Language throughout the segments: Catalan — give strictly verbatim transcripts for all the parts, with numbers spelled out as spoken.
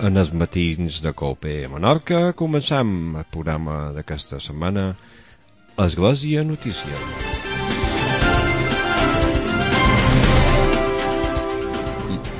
en els matins de Colpe a Menorca. Començam el programa d'aquesta setmana, Església Notícia.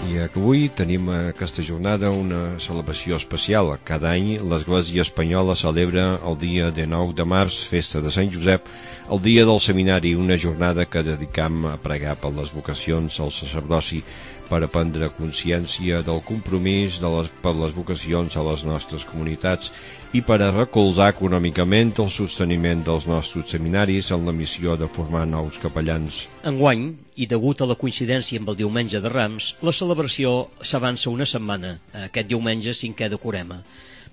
I avui tenim aquesta jornada una celebració especial. Cada any l'Església Espanyola celebra el dia dinou de març, festa de Sant Josep, el dia del seminari, una jornada que dedicam a pregar per les vocacions al sacerdoci, per a prendre consciència del compromís de les, per les vocacions a les nostres comunitats i per a recolzar econòmicament el sosteniment dels nostres seminaris en la missió de formar nous capellans. Enguany, i degut a la coincidència amb el diumenge de Rams, la celebració s'avança una setmana, aquest diumenge cinquè de Corema.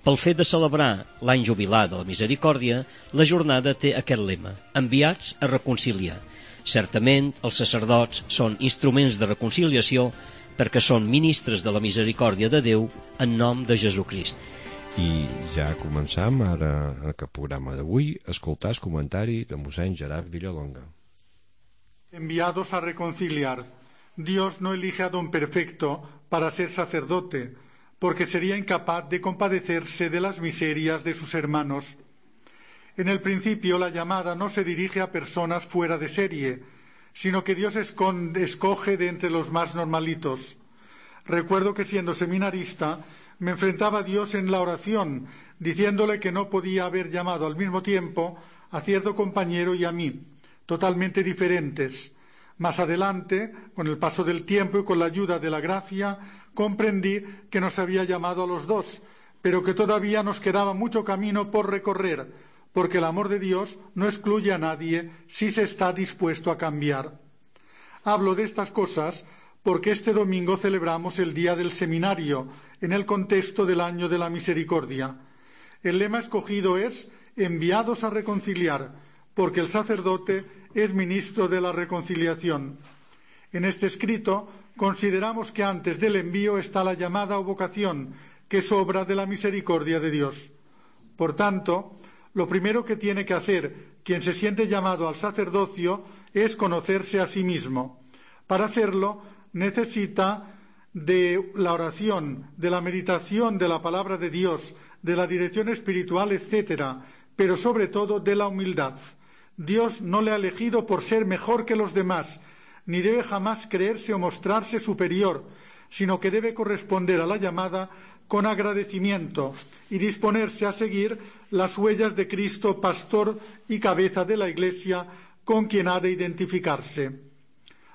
Pel fet de celebrar l'any jubilar de la Misericòrdia, la jornada té aquest lema: enviats a reconciliar. Certament, els sacerdots són instruments de reconciliació perquè són ministres de la misericòrdia de Déu en nom de Jesucrist. I ja començam ara en aquest programa d'avui a escoltar el comentari de mossèn Gerard Villalonga. Enviados a reconciliar. Dios no elige a don perfecto para ser sacerdote, porque sería incapaz de compadecerse de las miserias de sus hermanos. En el principio la llamada no se dirige a personas fuera de serie, sino que Dios esconde, escoge de entre los más normalitos. Recuerdo que siendo seminarista me enfrentaba a Dios en la oración, diciéndole que no podía haber llamado al mismo tiempo a cierto compañero y a mí, totalmente diferentes. Más adelante, con el paso del tiempo y con la ayuda de la gracia, comprendí que nos había llamado a los dos, pero que todavía nos quedaba mucho camino por recorrer, porque el amor de Dios no excluye a nadie si se está dispuesto a cambiar. Hablo de estas cosas porque este domingo celebramos el Día del Seminario, en el contexto del Año de la Misericordia. El lema escogido es enviados a reconciliar, porque el sacerdote es ministro de la reconciliación. En este escrito consideramos que antes del envío está la llamada o vocación, que es obra de la misericordia de Dios. Por tanto, lo primero que tiene que hacer quien se siente llamado al sacerdocio es conocerse a sí mismo. Para hacerlo necesita de la oración, de la meditación de la palabra de Dios, de la dirección espiritual, etcétera, pero sobre todo de la humildad. Dios no le ha elegido por ser mejor que los demás, ni debe jamás creerse o mostrarse superior, sino que debe corresponder a la llamada con agradecimiento y disponerse a seguir las huellas de Cristo, pastor y cabeza de la Iglesia, con quien ha de identificarse.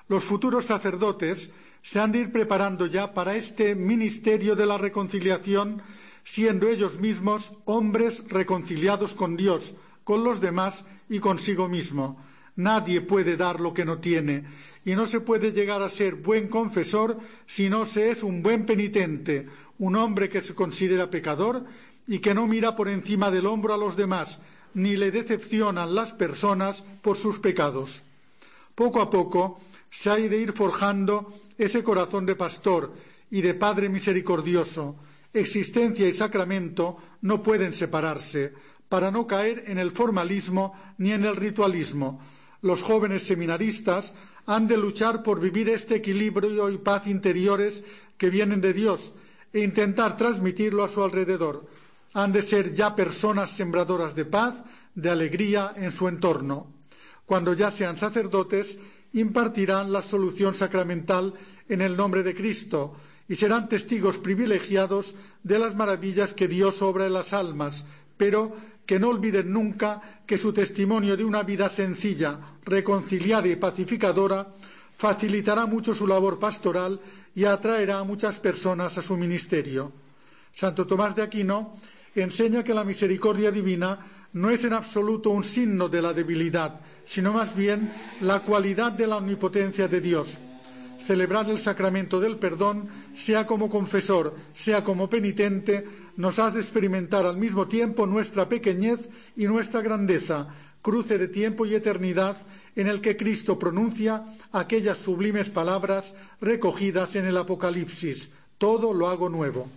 Los futuros sacerdotes se han de ir preparando ya para este ministerio de la reconciliación, siendo ellos mismos hombres reconciliados con Dios, con los demás y consigo mismo. Nadie puede dar lo que no tiene, y no se puede llegar a ser buen confesor si no se es un buen penitente, un hombre que se considera pecador y que no mira por encima del hombro a los demás, ni le decepcionan las personas por sus pecados. Poco a poco se ha de ir forjando ese corazón de pastor y de Padre misericordioso. Existencia y sacramento no pueden separarse, para no caer en el formalismo ni en el ritualismo. Los jóvenes seminaristas han de luchar por vivir este equilibrio y paz interiores que vienen de Dios e intentar transmitirlo a su alrededor. Han de ser ya personas sembradoras de paz, de alegría en su entorno. Cuando ya sean sacerdotes, impartirán la solución sacramental en el nombre de Cristo y serán testigos privilegiados de las maravillas que Dios obra en las almas, pero que no olviden nunca que su testimonio de una vida sencilla, reconciliada y pacificadora facilitará mucho su labor pastoral y atraerá a muchas personas a su ministerio. Santo Tomás de Aquino enseña que la misericordia divina no es en absoluto un signo de la debilidad, sino más bien la cualidad de la omnipotencia de Dios. Celebrar el sacramento del perdón, sea como confesor, sea como penitente, nos hace experimentar al mismo tiempo nuestra pequeñez y nuestra grandeza, cruce de tiempo y eternidad en el que Cristo pronuncia aquellas sublimes palabras recogidas en el Apocalipsis: todo lo hago nuevo.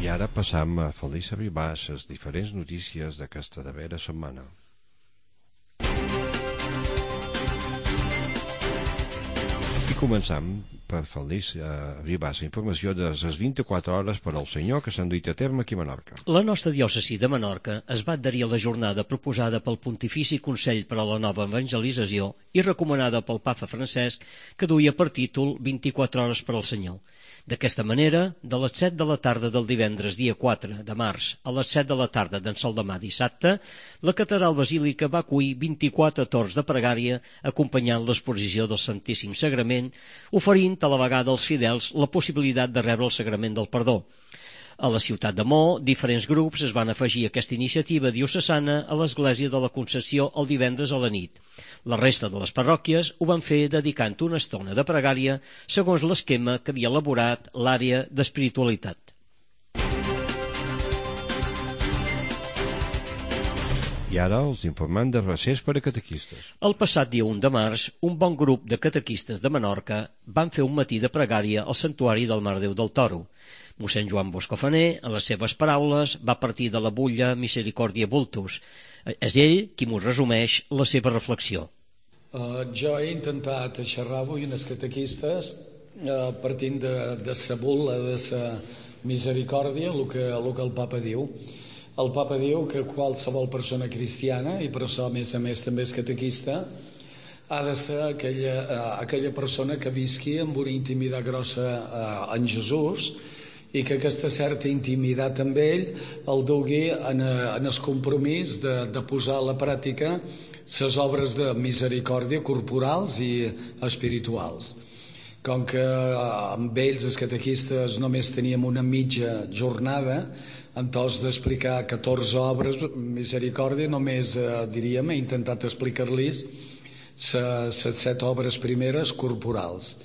I ara passam a Feliç arribar a les diferents notícies d'aquesta darrera setmana. començam per fer-los eh, arribar la informació de les vint-i-quatre hores per al Senyor que s'han duit a terme aquí a Menorca. La nostra diòcesi de Menorca es va adherir a la jornada proposada pel Pontifici Consell per a la Nova Evangelització i recomanada pel Papa Francesc, que duia per títol vint-i-quatre hores per al Senyor. D'aquesta manera, de les set de la tarda del divendres dia quatre de març a les set de la tarda d'en Sol demà dissabte, la catedral basílica va acollir vint-i-quatre torns de pregària acompanyant l'exposició del Santíssim Sagrament, oferint a la vegada als fidels la possibilitat de rebre el Sagrament del Perdó. A la ciutat de Mo, diferents grups es van afegir a aquesta iniciativa diocesana a l'Església de la Concepció el divendres a la nit. La resta de les parròquies ho van fer dedicant una estona de pregària segons l'esquema que havia elaborat l'àrea d'espiritualitat. I ara els informem de recés per a catequistes. El passat dia un de març, un bon grup de catequistes de Menorca van fer un matí de pregària al santuari del Mare Déu del Toro. Mossèn Joan Boscofaner, en les seves paraules, va partir de la butlla Misericòrdia Vultus. És ell qui m'ho resumeix la seva reflexió. Uh, jo he intentat xerrar avui unes catequistes uh, partint de, de sa bul·la de sa misericòrdia, el que, el que el papa diu. El papa diu que qualsevol persona cristiana, i per això a més a més també és catequista, ha de ser aquella, uh, aquella persona que visqui amb una intimitat grossa uh, en Jesús, i que aquesta certa intimitat amb ell el dugui en, en el compromís de, de posar a la pràctica les obres de misericòrdia corporals i espirituals. Com que amb ells, els catequistes, només teníem una mitja jornada, entonces d'explicar catorze obres misericòrdia, només eh, diríem, he intentat explicar-los les set obres primeres corporals.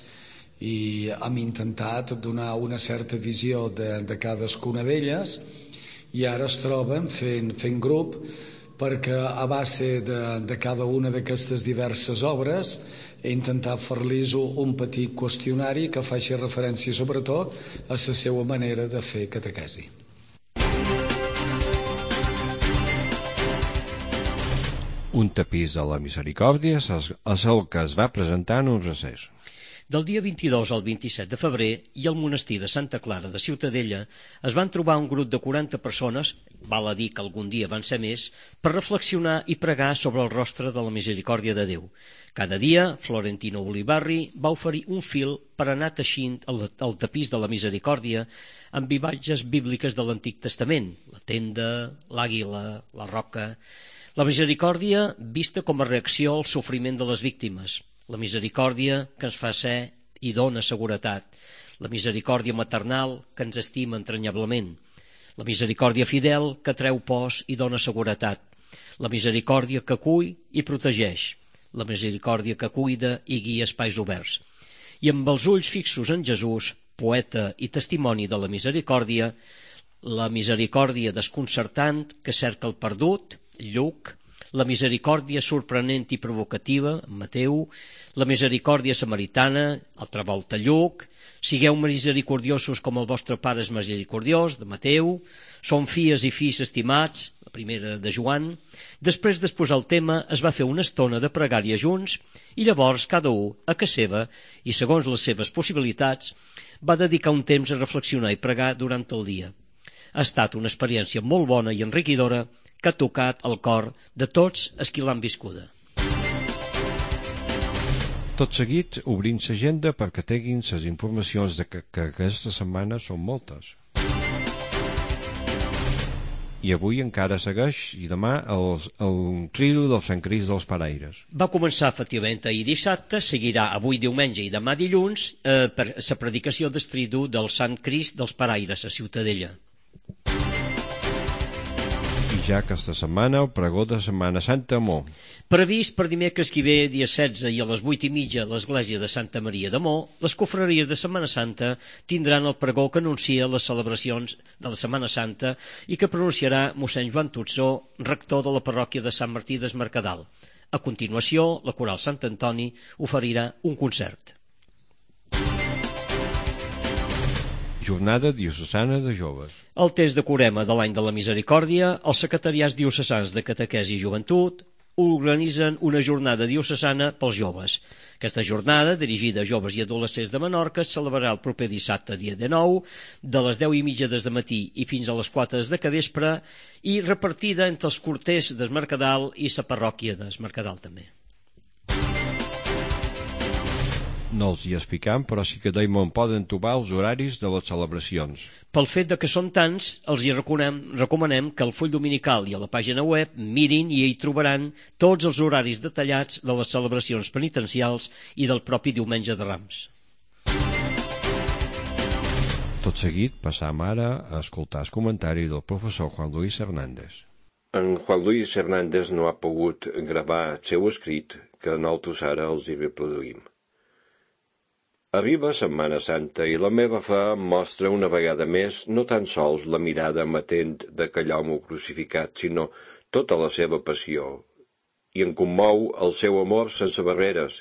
I hem intentat donar una certa visió de, de cadascuna d'elles i ara es troben fent, fent grup perquè a base de, de cada una d'aquestes diverses obres he intentat fer-los un petit qüestionari que faci referència sobretot a la seva manera de fer catequesi. Un tapís de la misericòrdia és el que es va presentar en un recés. Del dia vint-i-dos al vint-i-set de febrer i al monestir de Santa Clara de Ciutadella es van trobar un grup de quaranta persones, val a dir que algun dia van ser més, per reflexionar i pregar sobre el rostre de la misericòrdia de Déu. Cada dia, Florentino Olivarri va oferir un fil per anar teixint el, el tapís de la misericòrdia amb imatges bíbliques de l'Antic Testament, la tenda, l'àguila, la roca. La misericòrdia vista com a reacció al sofriment de les víctimes. La misericòrdia que ens fa ser i dona seguretat. La misericòrdia maternal que ens estima entranyablement. La misericòrdia fidel que treu pors i dona seguretat. La misericòrdia que acull i protegeix. La misericòrdia que cuida i guia espais oberts. I amb els ulls fixos en Jesús, poeta i testimoni de la misericòrdia, la misericòrdia desconcertant que cerca el perdut, Lluc, la misericòrdia sorprenent i provocativa, Mateu, la misericòrdia samaritana, altra volta Lluc, sigueu misericordiosos com el vostre Pare és misericordiós, de Mateu, som filles i fills estimats, la primera de Joan. Després d'exposar el tema es va fer una estona de pregària junts i llavors cada un, a casa seva i segons les seves possibilitats, va dedicar un temps a reflexionar i pregar durant el dia. Ha estat una experiència molt bona i enriquidora que ha tocat el cor de tots els qui l'han viscuda. Tot seguit, obrim l'agenda perquè tinguin les informacions de que, que aquesta setmana són moltes. I avui encara segueix, i demà, el, el tridu del Sant Crist dels Paraires. Va començar efectivament ahir dissabte, seguirà avui diumenge i demà dilluns eh, per la predicació del tridu del Sant Crist dels Paraires a Ciutadella. Ja aquesta setmana el pregó de Setmana Santa a Mo. Previst per dimecres que ve, dia setze i a les vuit i mitja a l'església de Santa Maria de Mo, les confraries de Setmana Santa tindran el pregó que anuncia les celebracions de la Setmana Santa i que pronunciarà mossèn Joan Tutzó, rector de la parròquia de Sant Martí des Mercadal. A continuació, la coral Sant Antoni oferirà un concert. Jornada diocesana de joves. El temps de Corema de l'any de la Misericòrdia, els secretariats diocesans de Catequesi i Joventut, organitzen una jornada diocesana pels joves. Aquesta jornada, dirigida a joves i adolescents de Menorca, es celebrarà el proper dissabte, dia dinou, de les deu i mitja des de matí i fins a les quatre de capvespre, i repartida entre els corters d'Es Mercadal i la parròquia d'Es Mercadal també. No els hi explicam, però sí que deim on poden trobar els horaris de les celebracions. Pel fet de que són tants, els hi recomanem, recomanem que al full dominical i a la pàgina web mirin i hi trobaran tots els horaris detallats de les celebracions penitencials i del propi diumenge de Rams. Tot seguit passam ara a escoltar el comentari del professor Juan Luis Hernández. En Juan Luis Hernández no ha pogut gravar el seu escrit, que nosaltres ara els hi reproduïm. Arriba Setmana Santa i la meva fe mostra una vegada més no tan sols la mirada amatent d'aquell home crucificat, sinó tota la seva passió, i en commou el seu amor sense barreres.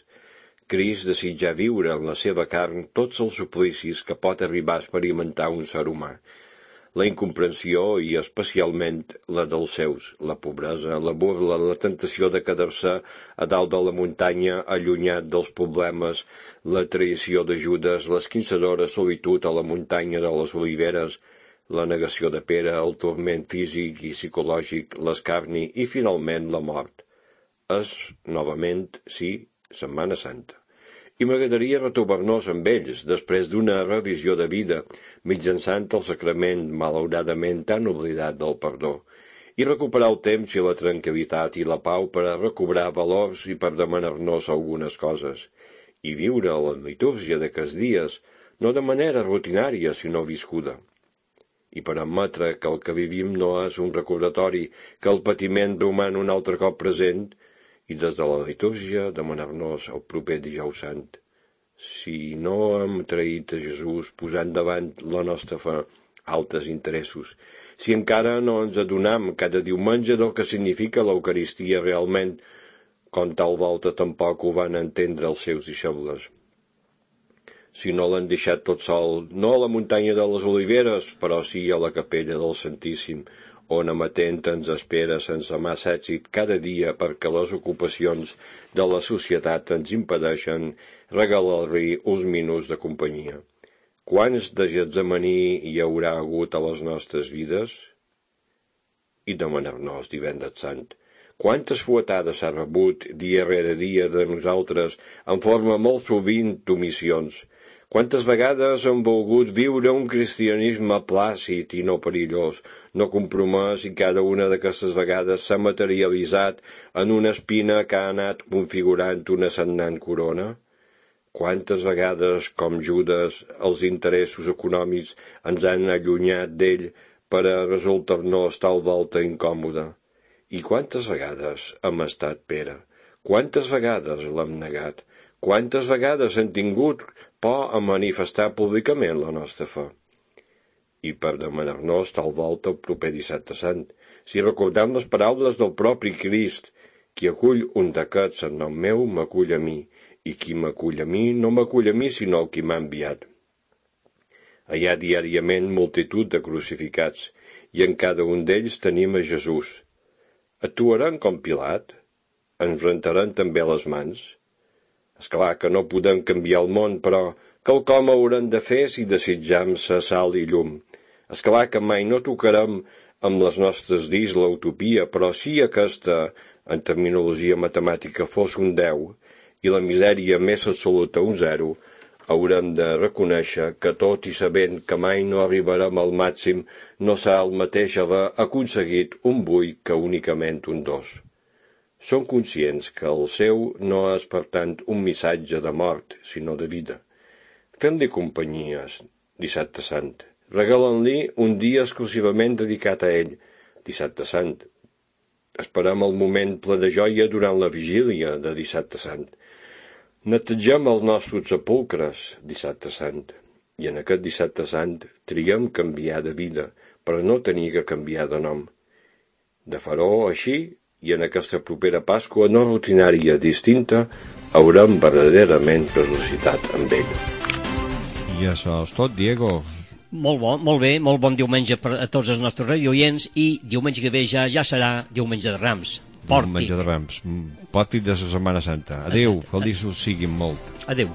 Crist desitja viure en la seva carn tots els suplicis que pot arribar a experimentar un ser humà. La incomprensió i especialment la dels seus, la pobresa, la burla, la tentació de quedar-se a dalt de la muntanya allunyat dels problemes, la traïció de Judes, l'esquinçadora solitud a la muntanya de les Oliveres, la negació de Pere, el turment físic i psicològic, l'escarni i finalment la mort. És, novament, sí, Setmana Santa. I m'agradaria retrobar-nos amb ells, després d'una revisió de vida, mitjançant el sacrament malauradament tan oblidat del perdó, i recuperar el temps i la tranquil·litat i la pau per a recobrar valors i per demanar-nos algunes coses, i viure la litúrgia d'aquests dies, no de manera rutinària, sinó viscuda. I per admetre que el que vivim no és un recordatori, que el patiment roman un altre cop present, i des de la litúrgia demanar-nos el proper dijous sant. Si no hem traït a Jesús posant davant la nostra fe altres interessos, si encara no ens adonam cada diumenge del que significa l'Eucaristia realment, com tal volta tampoc ho van entendre els seus deixebles. Si no l'han deixat tot sol, no a la muntanya de les Oliveres, però sí a la capella del Santíssim, on amatent ens espera sense massa èxit cada dia perquè les ocupacions de la societat ens impedeixen regalar-li uns minuts de companyia. Quants de Getsemaní hi haurà hagut a les nostres vides? I demanar-nos divendres sant. Quantes fuetades s'ha rebut dia rere dia de nosaltres en forma molt sovint d'omissions? Quantes vegades hem volgut viure un cristianisme plàcid i no perillós, no compromès, i cada una d'aquestes vegades s'ha materialitzat en una espina que ha anat configurant una sagnant corona? Quantes vegades, com Judes, els interessos econòmics ens han allunyat d'ell per a resultar-nos tal volta incòmoda? I quantes vegades hem estat Pere? Quantes vegades l'hem negat? Quantes vegades hem tingut por a manifestar públicament la nostra fe? I per demanar-nos tal volta el proper dissabte sant, si recordam les paraules del propi Crist, qui acull un d'aquests en nom meu m'acull a mi, i qui m'acull a mi no m'acull a mi sinó el qui m'ha enviat. Hi ha diàriament multitud de crucificats, i en cada un d'ells tenim a Jesús. Actuaran com Pilat? Ens rentaran també les mans? Esclar que no podem canviar el món, però quelcom haurem de fer si desitjam ser sal i llum. Esclar que mai no tocarem amb les nostres dits l'utopia, però si aquesta, en terminologia matemàtica, fos un deu, i la misèria més absoluta un zero, haurem de reconèixer que tot i sabent que mai no arribarem al màxim, no s'ha el mateix haver aconseguit un vuit que únicament un dos. Són conscients que el seu no és, per tant, un missatge de mort, sinó de vida. Fem-li companyies, dissabte sant. Regalen-li un dia exclusivament dedicat a ell, dissabte sant. Esperem el moment ple de joia durant la vigília de dissabte sant. Netegem els nostres sepulcres, dissabte sant. I en aquest dissabte sant triem canviar de vida, però no tenir que canviar de nom. De faró així, i en aquesta propera Pasqua no rutinària distinta, haurem verdaderament ressuscitat amb ell. I això és tot, Diego. Molt bo, molt bé, molt bon diumenge per a tots els nostres radioients, i diumenge que ve ja ja serà diumenge de Rams. Pòrtic. Menjar de Rams. Pòrtic de la Setmana Santa. Adéu, Exacte. feliços siguin molt. Adéu.